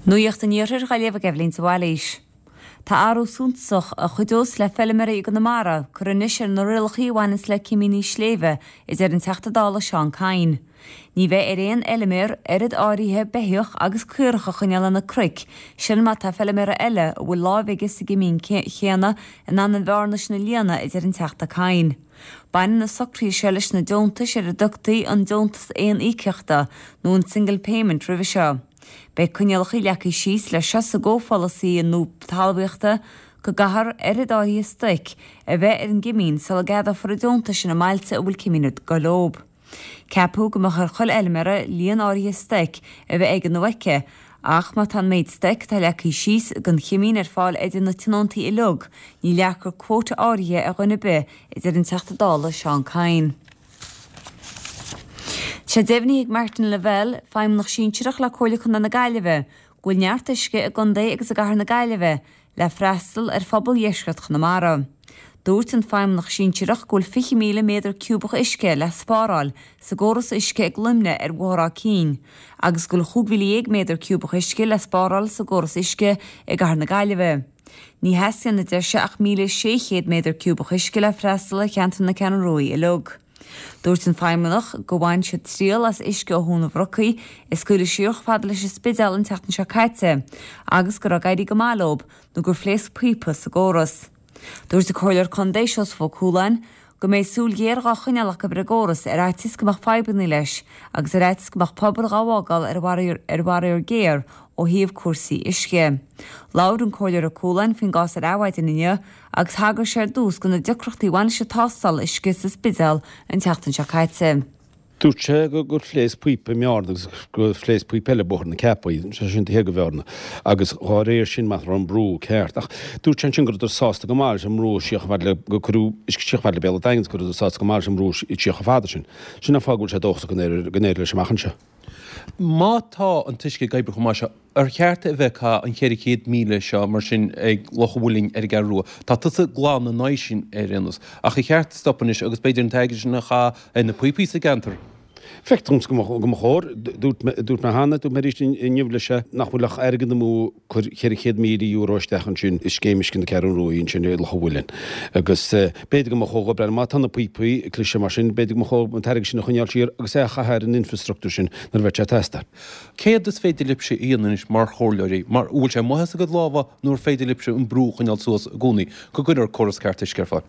Nuacht an Iarthair dhá léamh ag Eibhlín de Bhailís. Tá athrú suntasach, a chuideos le feilméaraí i gConamara, curtha anois ar na rialachaí a bhaineanns le cimíní sléibhe, a deir an Teachta Dála Seán Kyne. Ní bheidh ar aon fheilméar oiread áirithe beithíoch agus caorach a choinneáil ar na cnoic sin má tá feilméara eile a bhfuil láimh aige sa gcimín chéanna in ann an bhearna sin a líonadh, a deir an Teachta Kyne. Baineann na socruithe seo leis na deontais ar a dtugtaí an deontas aon-íocaíochta nó an single payment roimhe seo. Beidh coinníollacha leagtha síos leis seo sa gcomhpholasaí nua talmhaíochta go gcaithfear oiread áirithe stoic a bheith ar an gcimín sula gceadófar an deontas sin i mbailte a bhfuil cimín ag dul leob. Ceapadh go mbeadh ar chuile fheilméara líon áirithe stoic a bheith aige nó aici ach má tá an méid stoic atá leagtha síos don chimín ar fáil idir na tionóntaí uilig, ní leagfar quota áirithe ar dhuine ar bith, a deir an Teachta Dála Seán Kyne. Tá sé deimhnithe ag Martin Lavelle, Feidhmeannach Sinsearach le Comhairle Contae na Gaillimhe, go bhfuil neart uisce i gcontae agus i gcathair na Gaillimhe le freastal ar phobal dheisceart Chonamara. Dúirt an Feidhmeannach Sinsearach go bhfuil 20,000 méadar ciúbach uisce le spáráil sa gcóras uisce ag Luimne ar Bhóthar Áth Cinn agus go bhfuil 15,000 méadar ciúbach uisce le spáráil sa gcóras uisce i gcathair na Gaillimhe. Ní theastaíonn, a deir sé, ach 1,600 méadar ciúbach uisce le freastal ar cheantar na Ceathrún Rua uilig. Dúirt an feidhmeannach gur bhain siad triail as uisce ó Thóin an Bhrocaigh a scaoileadh siar chomh fada leis an Spidéal an tseachtain seo caite agus go raibh ag éirí go maith leob nó gur phléasc píopa sa gcóras. Dúirt an Comhairleoir Contae Seosamh Ó Cualáin go mbeidh súil ghéar dhá choinneáil acu ar an gcóras ar fhaitíos go mbeadh fadhbanna leis agus ar fhaitíos go mbeadh pobail dhá bhfágáil ar bharraíor géar ó thaobh cúrsaí uisce. Labhair an Comhairleoir Ó Cualáin faoin gcás ar Adhmhaidin inniu agus thagair sé ar dtús do na deacrachtaí a bhain leis an tástáil uisce sa Spidéal an tseachtain seo caite. Dúirt sé gur phléasc píopa i mBearna agus gur phléasc píopa eile i Bóthar na Ceapaí, sé sin taobh thiar de Bhearna, agus dhá réir sin nach raibh an brú ceart. Ach dúirt sé ansin go rabhadar sásta go maith leis an mbrú siar chomh fada le, gur cuireadh uisce siar chomh fada le Béal an Daingin agus go rabhadar sásta go maith leis an mbrú siar chomh fada sin. Sin an fáth go bhfuil sé dóchasach go n-éireoidh leis amach anseo. Má tá an t-uisce ag oibriú chomh maith seo, ar cheart a bheith ag caitheamh an 400,000 seo mar sin ag Loch an Mhuilinn ar an gCeathrú Rua? Tá tusa glan ina aghaidh sin ar aon nós. Ach ar cheart stop anois agus b'fhéidir an t-airgead sin a chaitheamh ar na píopaí sa gceantar? Feictear domsa go mba chóir. Dúirt mé cheana, dúirt mé arís inniu leis nach bhfuil ach airgead amú cur €400,000 isteach ansin i scéim uisce na Ceathrún Rua ansin i Loch an Mhuilinn. Agus b'fhéidir go mba chóir dhó breathnú, má tá na píopaí ag cliseadh mar sin, b'fhéidir go mba chóir an t-airgead sin a choinneáil siar agus é a chaitheamh ar an infreastruchtúr sin nuair a bheidh sé ag teastáil. Céard is féidir libhse a dhéanamh anois mar chomhairleoirí? Mar, an bhfuil sé amuigh as a gcuid lámha nó ar féidir libhse an brú a choinneáil suas i gcónaí go gcuirfear córas ceart uisce ar fáil?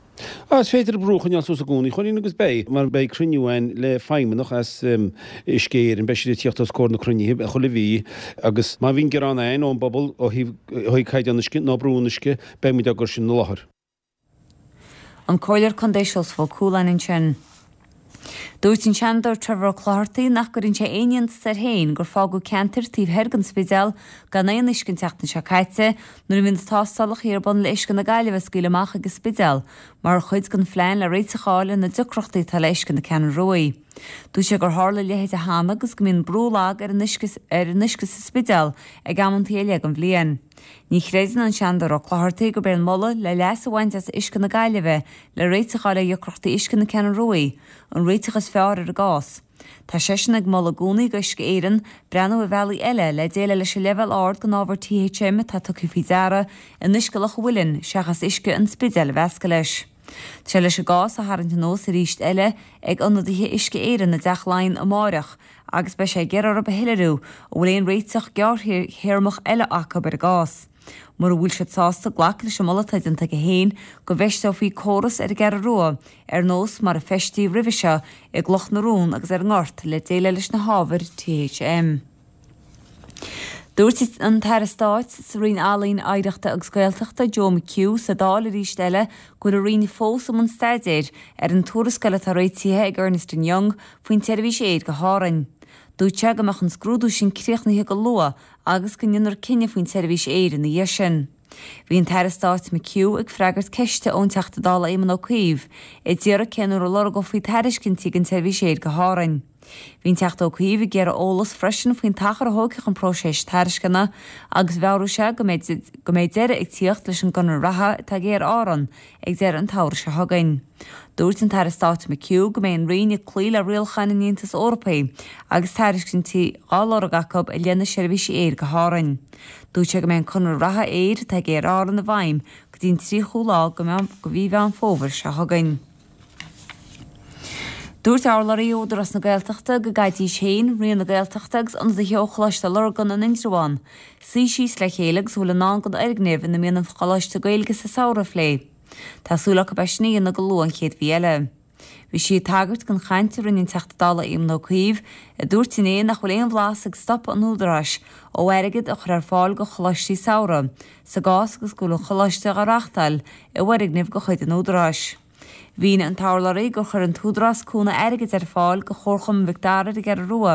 Á, is féidir an brú a choinneáil suas i gcónaí, a Chóilín, agus beidh, mar beidh cruinniú againn le feidhmeannach as Uisce Éireann, beidh siad ag tíocht os comhair na cruinnithe chuile mhí agus má bhíonn gearán againn ón bpobal ó thaobh ó thaobh caighdeán uisce nó brú an uisce, beidh muid á gcur sin i láthair. An Comhairleoir Contae Seosamh Ó Cualáin ansin. Dúirt an Seanadóir Trevor Ó Clochartaigh nach gcuireann sé aon iontas air féin gur fágadh ceantair taobh thoir den Spidéal gan aon uisce an tseachtain seo caite nuair a bhí na tástálacha ar bun le uisce na Gaillimhe a scaoileadh amach ag an Spidéal mar chuid den phlean le réiteach a fháil ar na deacrachtaí atá le uisce na Ceathrún Ruaidh. Dúirt sé gur tharla a leithéid cheana agus go mbíonn brú lag ar an uisce ar an uisce sa Spidéal ag amantaí ar leith den bhliain. Ní chreideann an Seanadóir Ó Clochartaigh gurb é an moladh le leas a bhaint as uisce na Gaillimhe le réiteach a fháil ar dheacrachtaí uisce na Ceathrún Ruaidh, an réiteach is fearr ar an gcás. Tá seisean ag moladh i gcónaí do Uisce Éireann breathnú ar bhealaí eile le déileáil leis an leibhéal ard den ábhar THM atá tugtha faoi deara in uisce Loch an Mhuilinn seachas uisce an Spidéil a mheascadh leis. Tá sé leis an gcás a tharraingt anuas arís eile ag ionadaithe Uisce Éireann i dTeach Laighean amáireach agus beidh sé ag iarraidh orthu a shoiléiriú an bhfuil aon réiteach gearrthéarmach eile acu ar an gcás. Mura bhfuil siad sásta glacadh leis an moladh atá déanta aige féin go bhfeisteofaí córas ar an gCeathrú Rua ar nós mar a feistíodh roimhe seo i gCloch na Rón agus ar an nGort le déileáil leis na hábhair THM. Dúirt an tAire Stáit sa Roinn Ealaíon, Oidhreachta agus Gaeltachta, Joe McHugh, sa Dáil arís eile go bhfuil a Roinn fós i mbun staidéir ar an tuarascáil atá réitithe ag Ernest and Young faoin tseirbhís aeir go hÁrainn. Dúirt sé go mbeadh an scrúdú sin críochnaithe go luath agus go ndéanfar cinneadh faoin tseirbhís aeir ina dhiaidh sin. Bhí an tAire Stáit McHugh ag freagairt ceiste ón Teachta Dála Éamon Ó Cuív, a d'iarraidh cén uair a lorgófaí tairiscintí don tseirbhís aeir go hÁrainn. Bhí an Teachta Ó Cuív ag iarraidh eolas freisin faoin t-achar a thógfadh an próiseas tairisceana agus mheabhraigh sé go mbeidh go mbeidh deireadh ag tíocht leis an gconradh reatha atá ag Aer Árann ag deireadh an tsamhraidh seo chugainn. Dúirt an tAire Stáit McHugh go mbeidh an Roinn ag cloí le rialacháin an Aontais Eorpaigh agus tairiscintí dhá lorg acu i leith na seirbhísí aeir go hÁrainn. Dúirt sé go mbeidh an conradh reatha aeir atá ag Aer Árann i bhfeidhm go dtí an 30ú lá de mhí Mheán Fómhair seo chugainn. Dúirt urlabhraí Údarás na Gaeltachta go gcaithfidís féin, Roinn na Gaeltachta agus ionadaithe ó Choláiste Lurgan in Indreabhán suí síos le chéile agus a bhfuil i ndán don fhoirgneamh ina mbíonn an Choláiste Gaeilge sa samhradh a phlé. Tá súil acu é sin a dhéanamh go luath an chéad mhí eile. Bhí sí ag tagairt don chaint a rinne an Teachta Dála Éamon Ó Cuív, a dúirt inné nach bhfuil aon bhlas ag stopadh an Údaráis ó airgead a chur ar fáil do choláistí samhraidh, sa gcás agus go bhfuil an choláiste á reáchtáil i bhfoirgneamh de chuid an Údaráis. Mhínigh an t-urlabhraí gur chuir an tÚdarás cúnamh airgid ar fáil do Chomharchumann Mhic Dara ar an gCeathrú Rua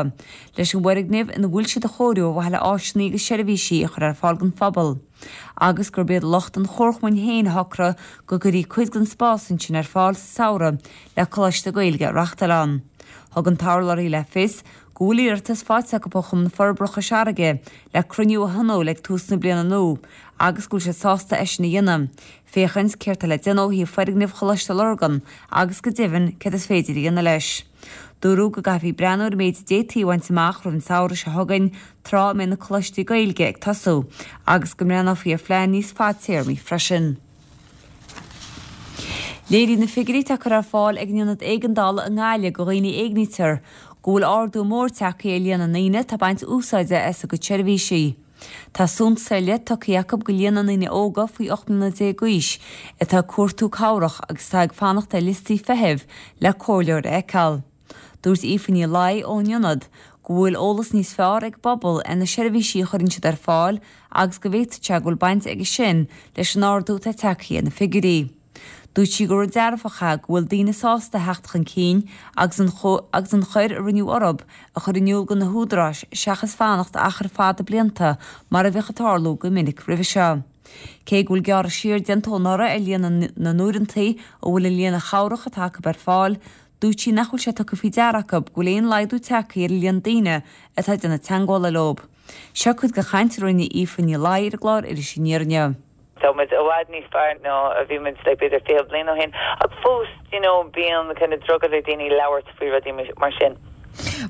leis an bhfoirgneamh ina bhfuil siad a chóiriú ar mhaithe le áiseanna agus seirbhísí a chur ar fáil don phobal agus gurb iad lucht an chomharchumainn féin a shocraigh go gcuirfí cuid den spás ansin ar fáil sa samhradh le coláiste Gaeilge a reáchtáil ann. Thug an t-urlabhraí le fios go bhfuil iarratas faighte acu ó Chumann Forbartha Chois Fharraige le cruinniú a thionól ag tús na bliana nua agus go bhfuil siad sásta é sin a dhéanamh. féachaint céard tá le déanamh ó thaobh foirgneamh Choláiste Lurgan agus go deimhin céard is féidir a dhéanamh leis. Dúradh go gcaithfí breathnú ar an méid a d'fhéadfaí a bhaint amach roimh an samhradh seo chugainn tráth a mbeidh na coláistí Gaeilge ag tosú agus go mbreathnófaí ar phlean níos fadtéarmaí freisin. Léiríonn na figiúirí atá curtha ar fáil ag an Ionad Éigeandála i nGaillimh do dhaoine a éignítear go bhfuil ardú mór tagtha ar líon na ndaoine atá ag baint úsáide as a gcuid seirbhísí. Tá suntas ar leith tugtha acu do líon na ndaoine óga faoi 18 mbliana d'aois atá ag cuartú cabhrach agus atá ag fanacht ar liostaí feithimh le comhairleoir a fheiceáil. Dúirt Aoife Ní Laoi ón Ionad go bhfuil eolas níos fearr ag an bpobal ar na seirbhísí a chuireann siad ar fáil agus go bhféadfadh sé go bhfuil baint aige sin leis an ardú atá tagtha ar na figiúirí. Dúirt sí gur rud dearfach é go bhfuil daoine sásta a theacht chun cinn agus an agus an choir a rinneadh orthu a chur in iúl do na húdaráis seachas fanacht achar fada blianta mar a bhíodh ag tarlú go minic roimhe seo. Cé go bhfuil gearradh siar déanta ó anuraidh ar líon na n-uaireanta a bhfuil an líne chabhrach atá acu ar fáil, dúirt sí nach bhfuil sé tugtha faoi deara acu go bhfuil aon laghdú tagtha ar an líon daoine atá ag déanamh teagmhála leo. Seo cuid den chaint a rinne Aoife Ní Laoi ar an gclár Iris Aniar inniu. Tá muid i bhfad níos fearr ná a bhí muid like b'fhéidir 20 bliain ó shin ach fós you know bíonn kind of drogall ar daoine labhairt faoi rudaí mar sin.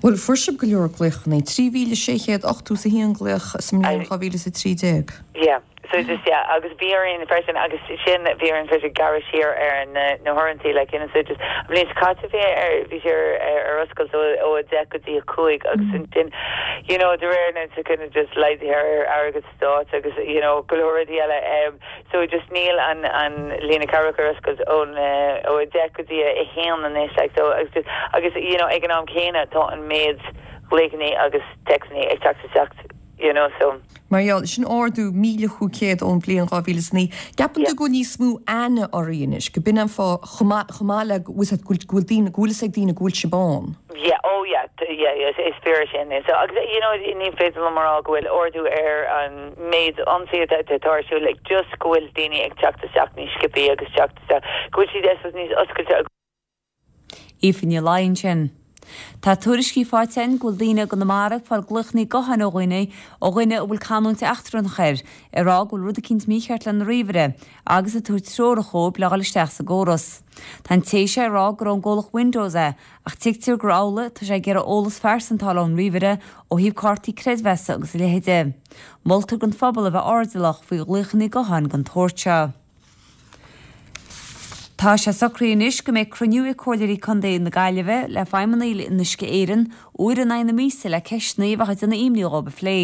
Bhuel, fuair sibh go leor glaochanna, 3,681 glaoch sa mbliain 2013. Yeah, so just yeah agus bhí orainn freisin agus sin bhí orainn freisin gearradh siar ar na na huaireantaí like you know so just an bhliain seo caite bhí ar bhí sé ar ar oscailt ó ó 10 go dtí 5 agus ansin you know de réir na kind of just laghduithe ar airgead stáit agus you know go leor rudaí eile em so just níl an an líne cabhrach ar oscailt ón ó 10 go dtí a 1 anois like so agus just agus you know ag an am céanna tá an méid glaochanna agus téacsanna ag teacht isteach you know so. Mar gheall, sin ardú 1,500 ón bhliain 2009. Ceapann tú go bhfuil níos mó aithne oraibh anois, go b'in an fáth chomh maith chomh maith le go bhfuil go bhfuil daoine go bhfuil fhios ag daoine go bhfuil sibh ann? Yeah, oh yeah, yeah, yeah, is fíor é sin. So, agus, you know, ní féidir liom a rá go bhfuil ardú ar an méid ionsaithe atá ar siúl, like, just go bhfuil daoine ag teacht isteach níos sciobthaí agus teacht isteach, go bhfuil siad, I suppose, níos oscailte agus. Aoife Ní Laoi ansin. Tá tuairiscí faighte againn go bhfuil daoine i gConamara ag fáil glaochanna gutháin ó dhaoine, ó dhuine a bhfuil canúint eachtrannach air, ag rá go bhfuil rud eicínt mícheart lena ríomhaire agus ag tabhairt treorach dhóibh le dhul isteach sa gcóras. Tá an té seo ag rá gur ón gcomhlacht Windows é Ach tuigtear gur amhlaidh atá sé ag iarraidh eolas phearsanta a fháil ón ríomhaire ó thaobh cártaí creidmheasa agus a leithéide. Moltar don phobal a bheith airdeallach faoi ghlaochanna gutháin den tsórt seo. Tá sé socraithe anois go mbeidh cruinniú ag Comhairleoirí Contae na Gaillimhe le feidhmeannaigh in Uisce Éireann uair in aghaidh na míosa le ceisteanna a bheadh ag déanamh imní dhóibh a phlé.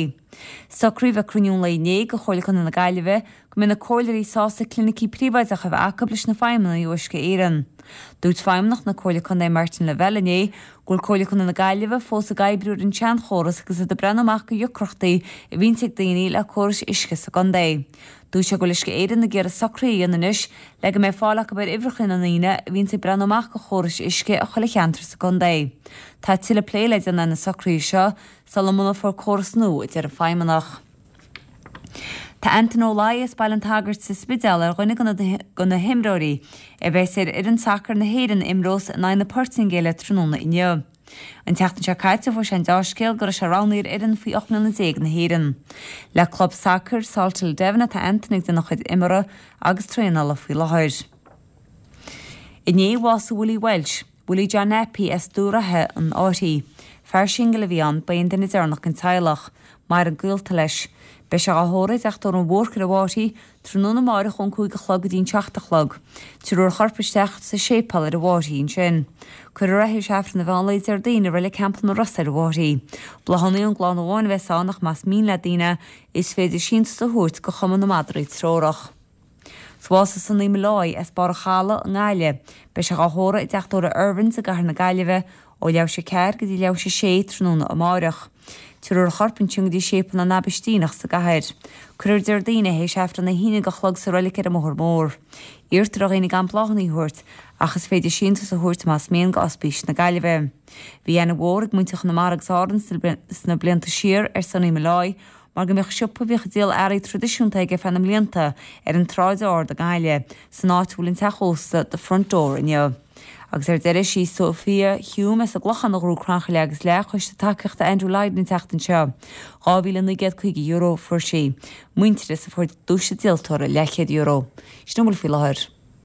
Socraíodh ag cruinniú an lae inné de Chomhairle Contae na Gaillimhe go mbeidh na comhairleoirí sásta clinicí príobháideacha a bheith acu leis na feidhmeannaigh ó Uisce Éireann. Dúirt Feidhmeannach na Comhairle Contae Martin Lavelle inné go bhfuil Comhairle Contae na Gaillimhe fós ag oibriú ar an tseanchóras agus iad ag breathnú amach do dheacrachtaí a bhíonns ag daoine le córais uisce sa gcontae. Dúirt sé go bhfuil Uisce Éireann ag iarraidh socruithe a dhéanamh anois le go mbeidh fáil acu ar uimhreacha na ndaoine a bhíonns ag breathnú amach do chórais uisce i chuile cheantar sa gcontae. Tá tuilleadh plé le déanamh ar na socruithe seo sula mbunófar córas nua, a deir an Feidhmeannach. Tá Antain Ó Laoi as Baile an tSagairt sa Spidéal ar dhuine de na himreoirí a bheas ar fhoireann sacair na hÉireann a imreos in aghaidh na Portaingéile tráthnóna inniu. An tseachtain seo caite fuair sé an deá-scéal go raibh sé roghnaithe ar fhoireann faoi 18 mbliana na hÉireann. Le club sacair Salthill Devon atá Anthony ag déanamh a chuid imeartha agus traenála faoi láthair. Inné bhásaigh Willie Walsh, Willie John Nappy as Dubh Ráithe an Fhairche. Fear singil a bhí ann, ba é an duine deireanach den teaghlach. Maireann gaolta leis. Beidh sé á thórramh i dTeach Tórraimh an Bhúrcaigh ar an bhFáirche, tráthnóna amáireach ón 5 a chlog go dtí an 7 a chlog. Tabharfar a chorp isteach sa séipéal ar an bhFáirche ansin. Cuirfear é théis Aifreann an mheán lae Déardaoin i Reilig Theampall na Rosa ar an bhFáirche. Bláthanna ón gclann amháin a bheas ann ach más mian le daoine is féidir síntiús a thabhairt go Chumann na Madraí Treorach. Bhásaigh Sonny Molloy as Barr an Chalaidh i nGaillimh. Beidh sé dhá thórramh i dTeach Tórraimh Irvines i gCathair na Gaillimhe ó leathuair théis 4 go dtí leathuair théis 6 tráthnóna amáireach. Tabharfar a chorp ansin go dtí Séipéal na nAibhistíneach sa gcathair. Cuirfear Déardaoin é théis Aifreann a haon déag a chlog sa reilig ar an mBóthar Mór. Iarrtar ar dhaoine gan bláthanna a thabhairt ach is féidir síntiús a thabhairt más mian go Ospís na Gaillimhe. Bhí aithne mhór ag muintir Chonamara agus Árann sna blianta siar ar Sonny Molloy mar go mbíodh siopa a bhíodh ag díol earraí traidisiúnta aige feadh na mblianta ar an tSráid Ard i nGaillimh, san áit a bhfuil an teach ósta The Front Door inniu. Agus ar deireadh, sí Sophia Hume as an gClochán a ghnóthaigh crannchur leath agus leath Choiste Tacaíochta Andrew Lydon an tseachtain seo. €2,950 a fuair sí. Muintearas a fuair duais an díoltóra, leathchéad euro. Sin a bhfuil faoi láthair.